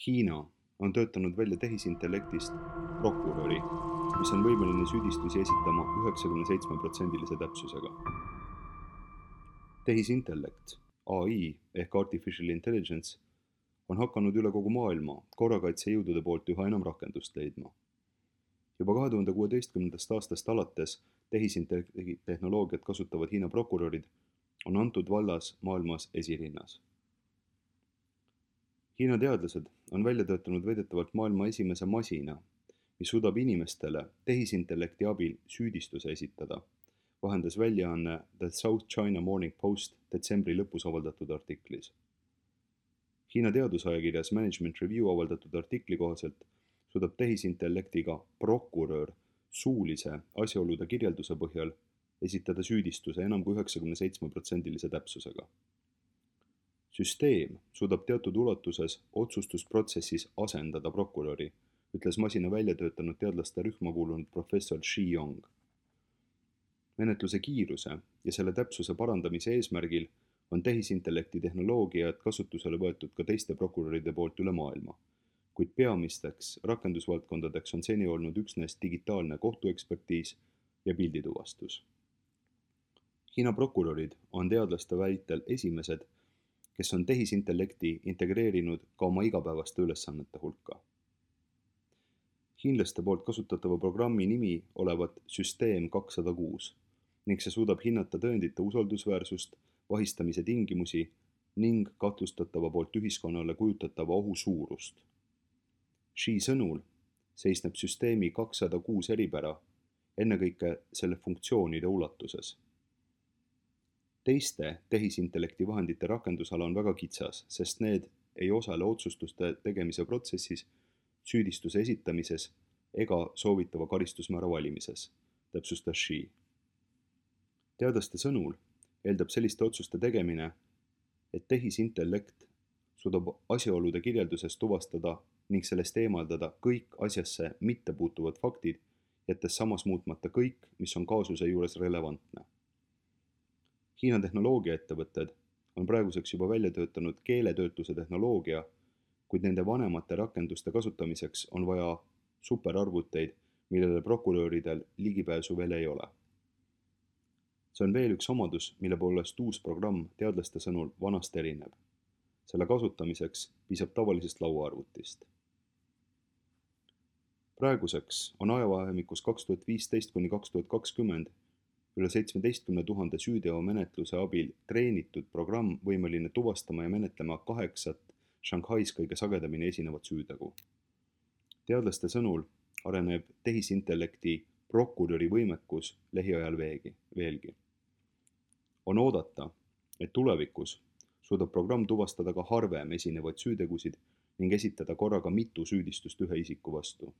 Hiina on töötanud välja tehisintellektist prokuröri, mis on võimeline süüdistusi esitama 97% täpsusega. Tehisintellekt, AI ehk Artificial Intelligence, on hakanud üle kogu maailma korrakaitsejõudude poolt üha enam rakendust leidma. Juba 2016. aastast alates tehisintellekti tehnoloogiat kasutavad Hiina prokurörid on antud vallas maailmas esirinnas. Hiina teadlased on välja töötanud väidetavalt maailma esimese masina, mis suudab inimestele tehisintellekti abil süüdistuse esitada, vahendas väljaanne The South China Morning Post detsembri lõpus avaldatud artiklis. Hiina teadusajakirjas Management Review avaldatud artikli kohaselt suudab tehisintellektiga prokurör suulise asjaolude kirjelduse põhjal esitada süüdistuse enam kui 97% täpsusega. Süsteem suudab teatud ulatuses otsustusprotsessis asendada prokuröri, ütles masina välja töötanud teadlaste rühma kuulunud professor Shi Yong. Menetluse kiiruse ja selle täpsuse parandamise eesmärgil on tehisintellekti tehnoloogiat kasutusele võetud ka teiste prokuröride poolt üle maailma, kuid peamisteks rakendusvaldkondadeks on seni olnud üksnes digitaalne kohtuekspertiis ja pildituvastus. Hiina prokurörid on teadlaste väitel esimesed, kes on tehisintellekti integreerinud ka oma igapäevaste ülesannete hulka. Hiinlaste poolt kasutatava programmi nimi olevat Süsteem 206 ning see suudab hinnata tõendite usaldusväärsust, vahistamise tingimusi ning kahtlustatava poolt ühiskonnale kujutatava ohu suurust. Shi sõnul seisneb süsteemi 206 eripära ennekõike selle funktsioonide ulatuses. Teiste tehisintellekti vahendite rakendusala on väga kitsas, sest need ei osale otsustuste tegemise protsessis, süüdistuse esitamises ega soovitava karistusmäära valimises, täpsustas Shi. Teadlaste sõnul eeldab selliste otsuste tegemine, et tehisintellekt suudab asjaolude kirjelduses tuvastada ning sellest eemaldada kõik asjasse mittepuutuvad faktid, jättes samas muutmata kõik, mis on kaasuse juures relevantne. Hiina tehnoloogiaettevõtted on praeguseks juba välja töötanud keeletöötluse tehnoloogia, kuid nende vanemate rakenduste kasutamiseks on vaja superarvuteid, millele prokuröridel ligipääsu veel ei ole. See on veel üks omadus, mille poolest uus programm teadlaste sõnul vanast erineb. Selle kasutamiseks piisab tavalisest lauaarvutist. Praeguseks on ajavahemikus 2015 kuni 2020 üle 17 000 süüteomenetluse abil treenitud programm võimeline tuvastama ja menetlema 8 Shanghais kõige sagedamini esinevat süütegu. Teadlaste sõnul areneb tehisintellekti prokuröri võimekus lähiajal veelgi. On oodata, et tulevikus suudab programm tuvastada ka harvem esinevaid süütegusid ning esitada korraga mitu süüdistust ühe isiku vastu.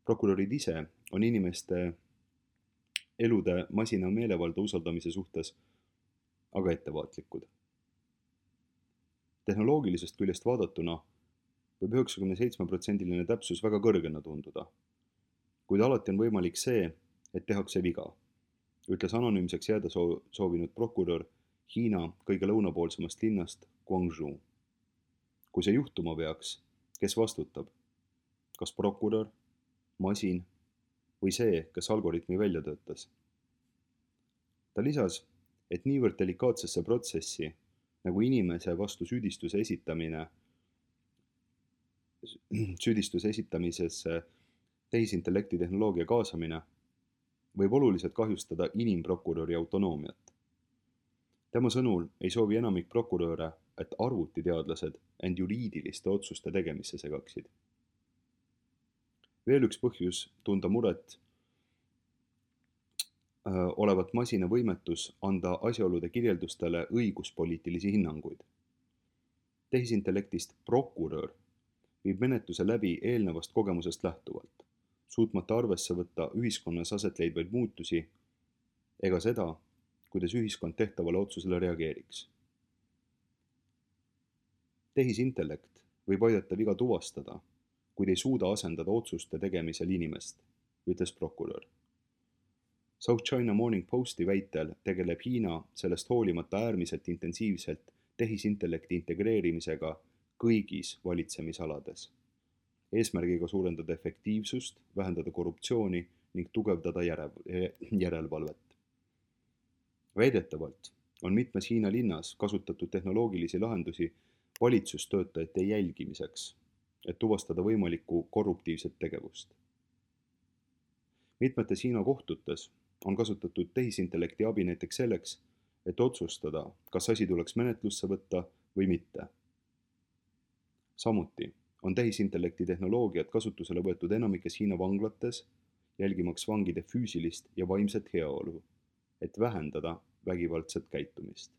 Prokurörid ise on inimeste elude masina meelevalda usaldamise suhtes aga ettevaatlikud. Tehnoloogilisest küljest vaadatuna võib 97% täpsus väga kõrgena tunduda, kuid alati on võimalik see, et tehakse viga, ütles anonüümseks jääda soovinud prokurör Hiina kõige lõunapoolsemast linnast Guangzhou. Kui see juhtuma peaks, kes vastutab? Kas prokurör, masin või see, kes algoritmi välja töötas? Ta lisas, et niivõrd delikaatsesse protsessi nagu inimese vastu süüdistuse esitamisesse tehisintellekti tehnoloogia kaasamine võib oluliselt kahjustada inimprokuröri autonoomiat. Tema sõnul ei soovi enamik prokuröre, et arvutiteadlased end juriidiliste otsuste tegemisse segaksid. Veel üks põhjus tunda muret olevat masina võimetus anda asjaolude kirjeldustele õiguspoliitilisi hinnanguid. Tehisintellektist prokurör viib menetluse läbi eelnevast kogemusest lähtuvalt, suutmata arvesse võtta ühiskonnas aset leidvaid muutusi ega seda, kuidas ühiskond tehtavale otsusele reageeriks. Tehisintellekt võib aidata viga tuvastada, kuid ei suuda asendada otsuste tegemisel inimest, ütles prokurör. South China Morning Posti väitel tegeleb Hiina sellest hoolimata äärmiselt intensiivselt tehisintellekti integreerimisega kõigis valitsemisalades, eesmärgiga suurendada efektiivsust, vähendada korruptsiooni ning tugevdada järelevalvet. Väidetavalt on mitmes Hiina linnas kasutatud tehnoloogilisi lahendusi valitsustöötajate jälgimiseks, et tuvastada võimalikku korruptiivset tegevust. Mitmetes Hiina kohtutes on kasutatud tehisintellekti abi näiteks selleks, et otsustada, kas asi tuleks menetlusse võtta või mitte. Samuti on tehisintellekti tehnoloogiat kasutusele võetud enamikes Hiina vanglates, jälgimaks vangide füüsilist ja vaimset heaolu, et vähendada vägivaldset käitumist.